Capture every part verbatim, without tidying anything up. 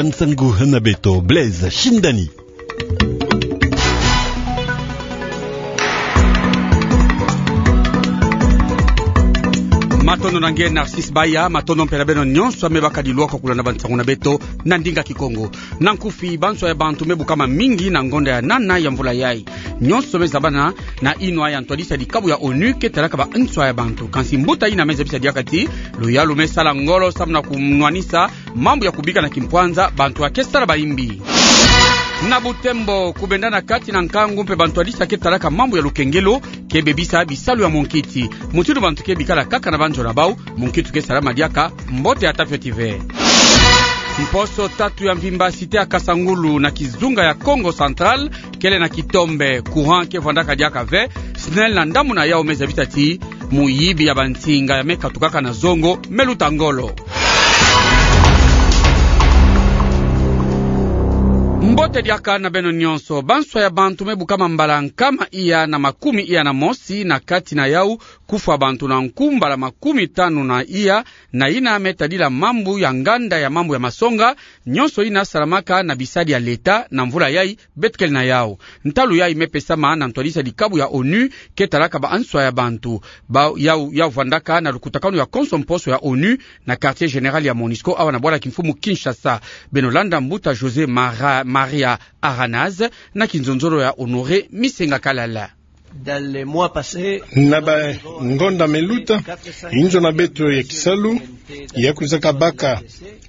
Nsangu ha beto, Blaise Shindani. Matondo na nge Narcisse Baya, matondo mpe na beno nyonso ahe me baka dilwaka kulanda bansangu na beto na ndinga Kikongo. Na nkufi, banswa ya bantu me bukama mingi na ngonda ya nana ya mvula yai. Nyonso me zabana na inwa ya ntwadisi ya dikabu ya ONU ke talaka banswa ya bantu. Kansi mbuta yina me zabisa diaka ti luyalu me sala ngolo samu na kunwanisa mambu ya kubika na kimpwanza bantu ake sala bayimbi. Na Butembo, kubenda na kati na nkangu mpe bantwadisi ake talaka mambu ya lukengelo ke bebisa bisalu ya munkiti. Mutindu bantu ke bikala kaka na banzo na bau, munkiti ke salama diaka. Mbote ya tafioti ve. Mposo tatu ya mvimba, cité ya Kasangulu na kizunga ya Kongo Central kele na kitombe, courant ke vwandaka diaka ve. SNEL na ndambu na yau me zabisa ti muyibi ya bansinga ya me katukaka na zongo me luta ngolo. Mbote diaka na beno nyonso. Banswa ya bantu me bukama mbala nkama iya na makumi iya na mosi, na kati na yau kufwa bantu na nku mbala makumi tanu na iya, na yina me tadila mambu ya nganda ya mambu ya masonga, nyonso yina salamaka na bisadi ya leta na mvula yai beto kele na yau. Ntalu yai me pesama na ntwadisi ya dikabu ya ONU ke talaka banswa ya bantu. Ba yau, yau vwandaka na lukutakanu ya konso mposo ya ONU na quartier général ya MONUSCO awa na bwala kimfumu Kinshasa. Beno landa mbuta José Mara-, Maria Aranaz na kinzonzolo ya Honoré Misenga Kalala. Dans les mois passés, na bangonda me luta, inzo na beto ya kisalu ya kwizaka baka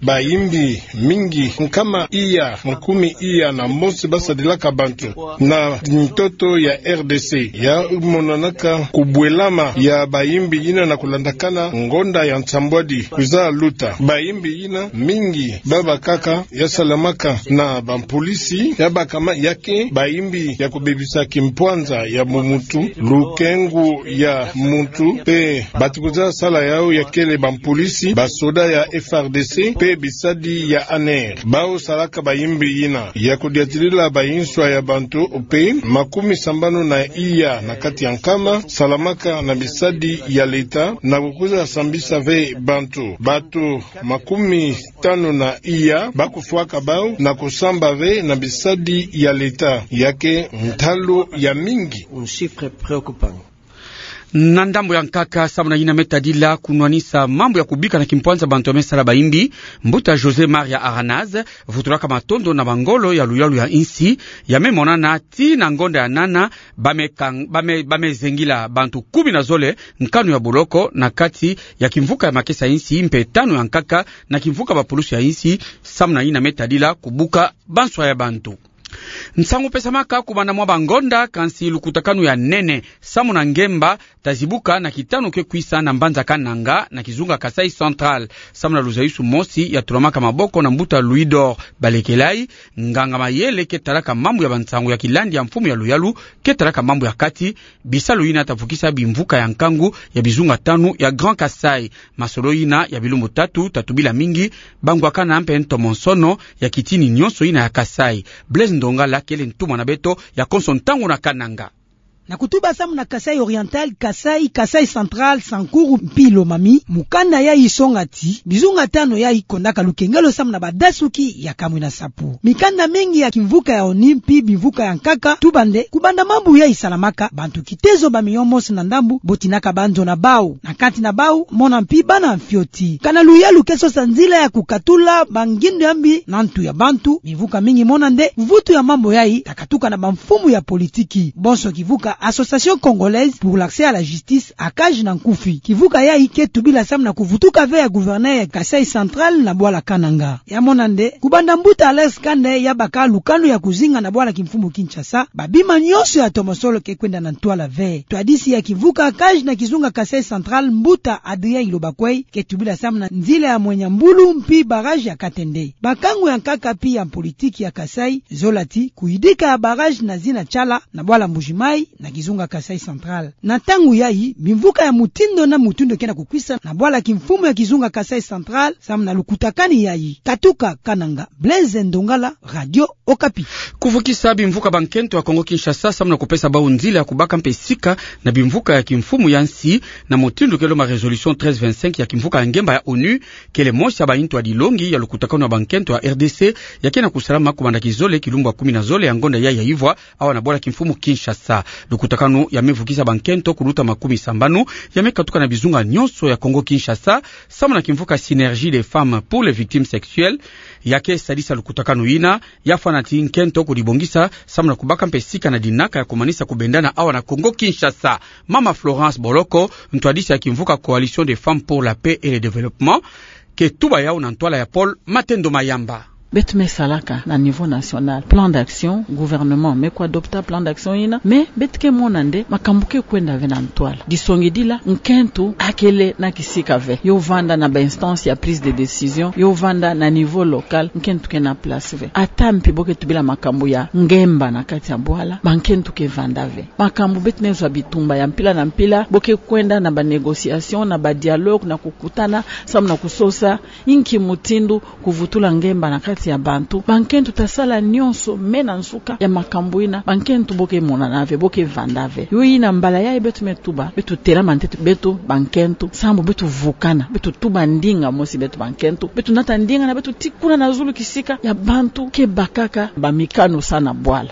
bayimbi mingi, nkama iya, makumi iya na mosi basadilaka bantu na ntoto ya R D C. Ya monanaka kubwelama ya bayimbi yina na kulandakana ngonda ya nsambwadi kwiza luta. Bayimbi yina mingi babakaka ya salamaka na bampolisi, ya bakama ya ke bayimbi ya kubebisa kimpwanza ya muntu, lukengu ya muntu, mpe bati kwiza sala yau ya kele bampolisi, basoda ya F R D C, mpe bisadi ya ANR. Bau salaka bayimbi yina ya kudiatilila banswa ya bantu, mpe makumi sambanu na iya na kati ya nkama salamaka na bisadi ya leta na kukwiza sambisa ve bantu. Bantu makumi tanu na iya bakufwaka bau na kusamba ve na bisadi ya leta. Ya ke ntalu ya mingi. Un chiffre préoccupant. Na ndambu ya nkaka, samu na yina me tadila kunwanisa mambu ya kubika na kimpwanza bantu ya me sala bayimbi, mbuta José Maria Aranaz vutulaka matondo na bangolo ya luyalu ya insi ya me monana ti na ngonda ya nana, ba me kang-, ba me, ba me zengila bantu kumi na zole nkanu ya boloko na kati ya kimvuka ya makesa insi, mpe tanu ya nkaka na kimvuka bapulusu ya insi, samu na yina me tadila kubuka banswa ya bantu. Nsangu pesamaka kubanda mwa bangonda, kansi lukutakanu ya nene samu na ngemba ta zibuka na kitanu ke kwisa na mbanza Kananga na kizunga Kasaï Central, samu na luzayusu mosi ya tulamaka maboko na mbuta Louis-Dor Balekelai, nganga mayele ke talaka mambu ya bansangu ya kilandi ya mfumu ya luyalu ke talaka mambu ya kati, bisalu yina ta vukisa bimvuka ya nkangu ya bizunga tanu ya Grand Kasaï. Masolo yina ya bilumbu tatu ta tubila mingi bangwakana mpe ntomosono ya kitini nyonso yina ya Kasaï. Blaise Ndongala kele ntumwa na beto ya konso ntangu na Kananga. Na kutuba samu na Kasaï Oriental, Kasaï, Kasaï Central, Sankuru mpi Lomami, mukanda yayi songa ti bizunga tanu yayi kondaka lukengelo samu na badasuki ya kamwina sapu. Mikanda mingi ya kimvuka ya ONU mpi bimvuka ya nkaka tuba nde kubanda mambu yayi salamaka, bantu kitezo ba miyo mosi na ndambu botinaka banzo na bau, na kati na bau mona mpi bana fioti. Kana luyalu ke sosa nzila ya kukatula bangindo ya mbi na ntu ya bantu. Bimvuka mingi mona nde mvutu ya mambu yayi ta katuka na bamfumu ya politiki, bonso kivuka Association Congolaise pour l'Accès à la Justice, ACAJ na nkufi. Kivuka yayi ke tubila samu na kuvutuka ve ya gouverneur ya Kasaï Central na bwala Kananga. Ya mona nde kubanda mbuta Alex Kande ya baka lukanu ya kuzinga na bwala kimfumu Kinshasa, babima nyonso ya ntomosono ke kwenda na ntwala ve. Ntwadisi ya kivuka ACAJ na kizunga Kasaï Central, mbuta Adrien Ilobakwei, ke tubila samu na nzila ya Mwenya Mbulu mpi barrage ya Katende. Bakangu ya nkaka mpi ya politiki ya Kasaï zola ti kuyidika ya barrage na zina tiala na bwala Mbuji-Mayi na kizunga Kasaï Central. Na ntangu yayi, bimvuka ya mutindu na mutindu ke na kukwisa na bwala kimfumu ya kizunga Kasaï Central, samu na lukutakanu yayi. Katuka Kananga, Blaise Ndongala, Radio Okapi. Kuvukisa bimvuka bankento ya Kongo Kinshasa, samu na kupesa bau nzila ya kubaka mpe sika na bimvuka ya kimfumu ya nsi, na mutindu ke lomba résolution treize vingt-cinq ya kimvuka ya ngemba ya onu, kele mosi ya bayintu ya dilongi ya lukutakanu ya bankento ya R D C, ya ke na kusalama kubanda kizole kilumbu ya kumi na zole ya ngonda yayi ya ivwa, awa na bwala kimfumu Kinshasa. Lukutakanu ya me vukisa bankento kuluta makumi sambanu, ya me katuka na bizunga nyonso ya Kongo Kinshasa, samu na kimvuka Synergie des femmes pour les victimes sexuelles, ya ke sadisa lukutakanu yina, ya fwana ti nkento kudibongisa, samu na kubaka mpe sika na dinaka ya kumanisa kubendana awa na Kongo Kinshasa. Mama Florence Boloko, ntwadisi ya kimvuka Coalition des femmes pour la paix et le développement, ke tuba yau na ntwala ya Paul Matendo Mayamba. Beto me salaka na niveau national plan d'action, gouvernement me kuadopta plan d'action yina, mais beto ke mona nde makambu ke kwenda ve na ntwala. Disongidila, nkento akele na kisika ve. Yo vanda na ba instance ya prise de décision, yo vanda na niveau local, nkento ke na place ve. Ata mpi bo ke tubila makambu ya ngemba na kati ya bwala, bankento ke vanda ve. Makambu beto me zwa bitumba ya mpila na mpila, bo ke kwenda na ba négociation, na ba dialogue, na kukutana, samu na kusosa inki mutindu kuvutula ngemba na kati ya bantu. Bankento ta sala nyonso, mais na nsuka ya makambu yina, bankento bo ke monana ve, bo ke vanda ve. Yo yina mbala yayi beto me tuba, beto telama ntete beto bankento, samu beto vukana, beto tuba ndinga mosi beto bankento, beto nata ndinga na beto tikuna na zulu kisika ya bantu ke bakaka bamikano sa na bwala.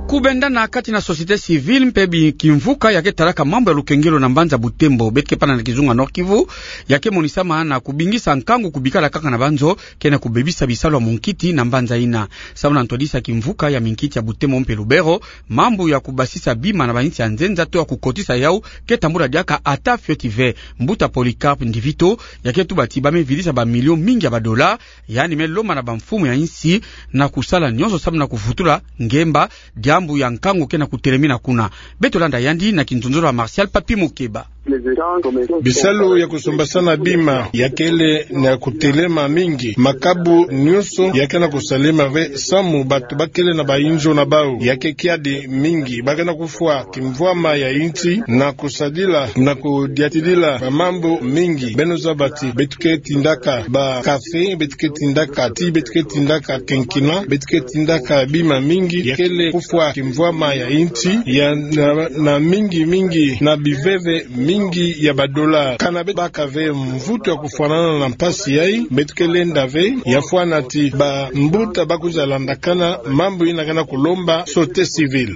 Kubendana kati na société civile mpe bi-, kimvuka ya ke talaka mambu ya lukengelo na mbanza Butembo, beto ke pana na kizunga Nord-Kivu, ya ke monisama na kubingisa nkangu kubikala kaka na banzo, ke na kubebisa bisalu ya munkiti na mbanza yina. Samu na ntwadisi ya kimvuka ya minkiti ya Butembo mpe Lubero, mambu ya kubasisa bima na bayinsi ya nzenza to ya kukotisa yau ke tambula diaka ata fioti ve. Mbuta Polycarpe Ndivito, ya ke tuba ti ba me vidisa ba millions mingi ya ba dollars, yandi me lomba na bamfumu ya insi na kusala nyonso samu na kuvutula ngemba, diambu ya nkangu ke na kutelemina kuna. Beto landa yandi na kinzonzolo ya Martial Papi Mukeba. Bisalu ya kusombasana bima ya kele na kutelema mingi. Makabu nyonso ya ke na kusalema ve samu bantu ba kele na bayinzo na bau. Ya ke kiadi mingi. Ba ke na kufwa kimvwama ya insi na kusadila na kudiatidila bamambu mingi. Beno zaba ti beto ke tindaka ba café, beto ke tindaka ti, beto ke tindaka quinquina, beto ke tindaka bima mingi. Ya kele kufwa kimvwama ya insi, ya na, na mingi mingi, na biveve mingi ya ba dollars. Kana beto baka ve mvutu ya kufwanana na mpasi yayi, beto ke lenda ve, ya fwana ti bambuta ba kwiza landakana mambu yina ke na kulomba société civile.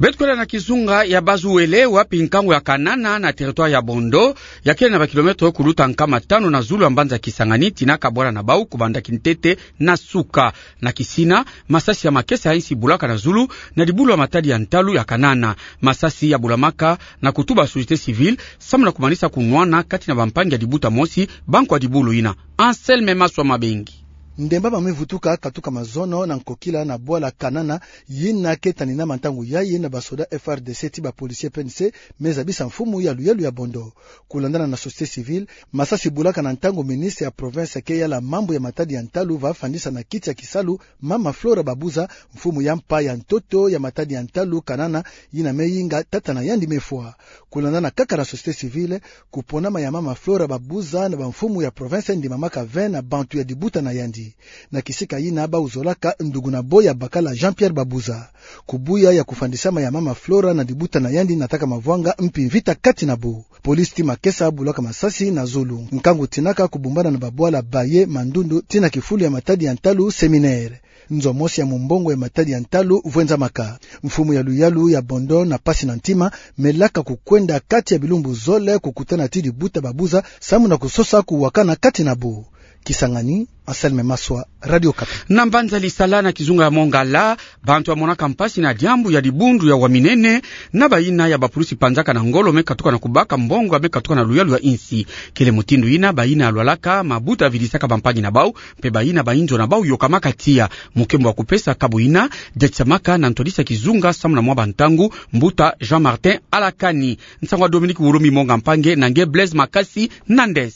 Beto kwenda na kizunga ya Bas-Uele, wapi nkangu ya Kanana na territoire ya Bondo, ya kele na ba kilomètres kuluta nkama tanu na zulu ya mbanza Kisangani, tina kabwala na bau kubanda kintete na suka. Na kisina, masasi ya makesa ya insi bulaka na zulu, na dibulu ya matadi ya ntalu ya Kanana. Masasi ya bulamaka na kutuba société civile, samu na kumanisa kunwana kati na bampangi ya dibuta mosi, bankwa dibulu yina. Anselme Maswa Mabengi. Ndemba ba me vutuka katuka mazono na nkokila na bwala Kanana, yina ke tanina ma ntangu yayi na ba soda F R D C ti ba policiers P N C, me zabisa mfumu ya luyalu ya Bondo. Kulandana na société civile, masasi bulaka na ntangu ministre ya province ke yala mambu ya matadi ya ntalu va fandisa na kiti ya kisalu, Mama Flora Babuza, mfumu ya mpa ya ntoto ya matadi ya ntalu Kanana, yina me yinga tata na yandi me fwa. Kulandana kaka na société civile, kuponama ya Mama Flora Babuza na bamfumu ya province ndimamaka ve na bantu ya dibuta na yandi. Na kisika yina bau zolaka ndugu na bo ya bakala Jean-Pierre Babuza. Kubuya ya kufandisama ya Mama Flora na dibuta na yandi nataka mavwanga mpi mvita kati na bo. Police ti makesa bulaka masasi na zulu. Nkangu tinaka kubumbana na babwala Baye, Mandundu, tina kifulu ya matadi ya ntalu Séminaire. Nzo mosi ya mumbongo ya matadi ya ntalu vwenzamaka. Mfumu ya luyalu ya Bondo na pasi na ntima, me laka kukwenda kati ya bilumbu zole kukutana ti dibuta Babuza, samu na kusosa kuwakana kati na bo. Kisangani, Anselme Maswa, Radio Okapi. Na mbanza Lisala na kizunga ya Mongala, bantu ya monaka mpasi na diambu ya dibundu ya waminene, na bayina ya bapulusi panzaka na ngolo me katuka na kubaka mbongo ya me katuka na luyalu ya insi. Kele mutindu yina, bayina ya lwalaka mabuta vidisaka bampangi na bau, mpe bayina bayinzo na bau yokamaka tiya. Mukembo wa kupesa kabu yina, diatisamaka na ntwadisi ya kizunga samu na mwa bantangu, mbuta Jean Martin Alakani. Nsangu ya Dominique Wulumi Monga Mpange, na nge Blaise Makasi Nandes.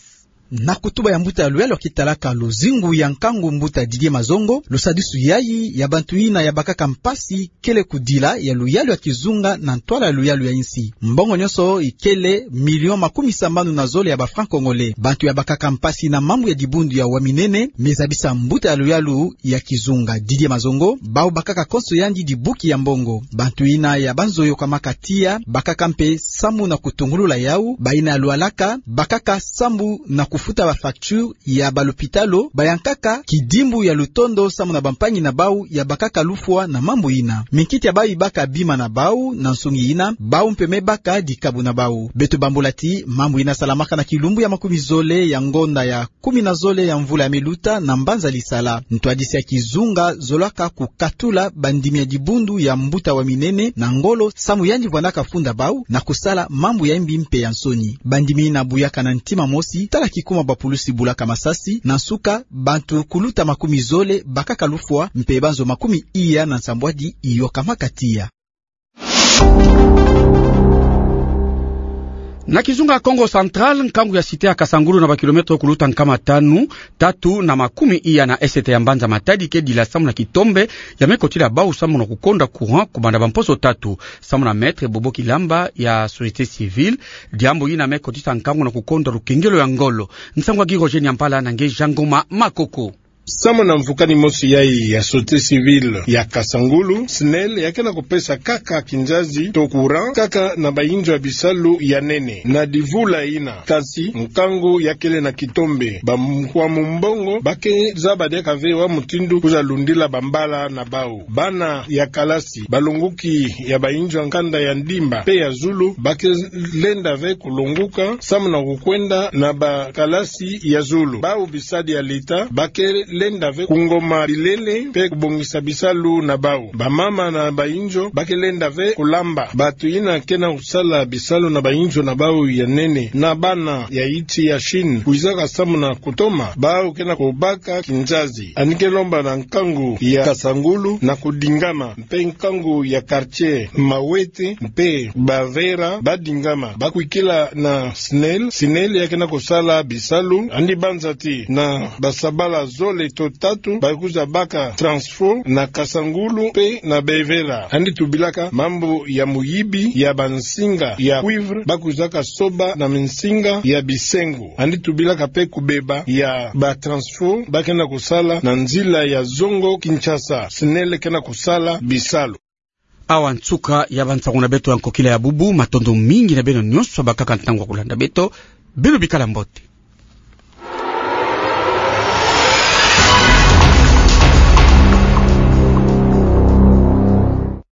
Na kutuba ya mbuta ya luyalu ya kitalaka luzingu ya nkangu, mbuta Didier Mazongo, lusadisu yayi ya bantu yina ya bakaka mpasi kele kudila ya luyalu ya kizunga na ntwala ya luyalu ya insi. Mbongo nyonso ikele million makumi sambanu na zole ya ba francs congolais. Bantu ya bakaka mpasi na mambu ya dibundu ya waminene, me zabisa mbuta ya luyalu ya kizunga Didier Mazongo, bau bakaka konso yandi dibuki ya mbongo. Bantu yina ya banzo yokamaka tiya bakaka mpe sambu na kutungulula yau, bayina ya lwalaka bakaka sambu na kufuta ba facture ya ba lopitalo, bayankaka kidimbu ya lutondo sambu na bampangi na bau ya bakaka lufwa na mambu yina. Minkiti ya bau ibaka bima na bau, na nsungi yina bau mpe me baka dikabu na bau. Beto bambula ti mambu yina salamaka na kilumbu ya makumi zole ya ngonda ya kumi na zole ya mvula ya me luta na mbanza Lisala. Ntwadisi ya kizunga zolaka kukatula bandimi ya dibundu ya mbuta waminene na ngolo, sambu yandi vwandaka funda bau na kusala mambu ya imbi mpe ya nsoni. Bandimi yina buyaka na ntima mosi, tala kikuma bapulusi bulaka masasi, na nsuka bantu kuluta makumi zole bakaka lufwa, mpe banzo makumi iya na nsambwadi iyokamaka tiya. Na kizunga Kongo Central, nkangu ya site ya Kasangulu, na ba kilomètre kuluta nkama tanu, tatu na makumi iya na esete ya mbanza Matadi, ke dila sambu na kitombe ya me kotila bau sambu na kukonda courant kubanda bamposo tatu, sambu na Maître Bobo Kilamba ya société civile. Diambu yina me kotisa nkangu na kukonda lukengelo ya ngolo. Nsangu ya Guy Roger Nyampala na nge Jean Ngoma Makoko. Sambu na mvukani mosi yayi ya société civile ya Kasangulu, SNEL ya ke na kupesa kaka kinzazi to courant kaka na bainzo ya bisalu ya nene na divula yina. Kasi nkangu ya kele na kitombe, bankwamu mbongo ba ke zaba diaka ve wa mutindu kwiza lundila bambala na bau. Bana ya kalasi, balonguki ya bainzo ya nkanda ya ndimba mpe ya zulu, ba ke lenda ve kulonguka sambu na kukwenda na bakalasi ya zulu. Bau bisadi ya leta ba ke lenda ve kungoma bilele mpe kubongisa bisalu na bau. Bamama na bainzo ba ke lenda ve kulamba. Bantu yina ke na kusala bisalu na bainzo na bau ya nene na bana ya insi ya Chine kwizaka sambu na kutoma, bau ke na kubaka kinzazi. Yandi ke lomba na nkangu ya Kasangulu na kudingama, mpe nkangu ya quartier Mawete mpe Bavera badingama, bakwikila na SNEL. SNEL ya ke na kusala bisalu. Yandi banza ti na basabala zole to tatu ba kwiza baka transfo na Kasangulu mpe na Bavera. Yandi tubilaka mambu ya muyibi ya bansinga ya cuivre ba kwizaka soba na minsinga ya bisengo. Yandi tubilaka mpe kubeba ya batransfo ba ke na kusala na nzila ya Zongo Kinshasa. SNEL ke na kusala bisalu. Awa nsuka ya bansangu na beto ya nkokila ya bubu. Matondo mingi na beno nyonso bakaka ntangu ya kulanda beto. Beno bikala mbote.